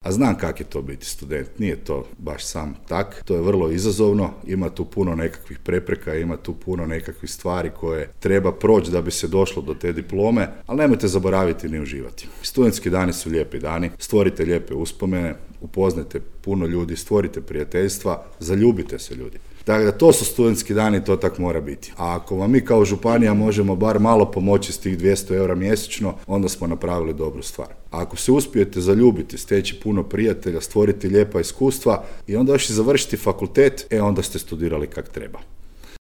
A znam kak je to biti student, nije to baš sam tak, to je vrlo izazovno, ima tu puno nekakvih prepreka, ima tu puno nekakvih stvari koje treba proći da bi se došlo do te diplome, ali nemojte zaboraviti ni uživati. Studentski dani su lijepi dani, stvorite lijepe uspomene, upoznajte puno ljudi, stvorite prijateljstva, zaljubite se ljudi. Dakle, da to su studentski dani, to tak mora biti. A ako vam mi kao županija možemo bar malo pomoći s tih 200 eura mjesečno, onda smo napravili dobru stvar. A ako se uspijete zaljubiti, steći puno prijatelja, stvoriti lijepa iskustva i onda još i završiti fakultet, onda ste studirali kak treba.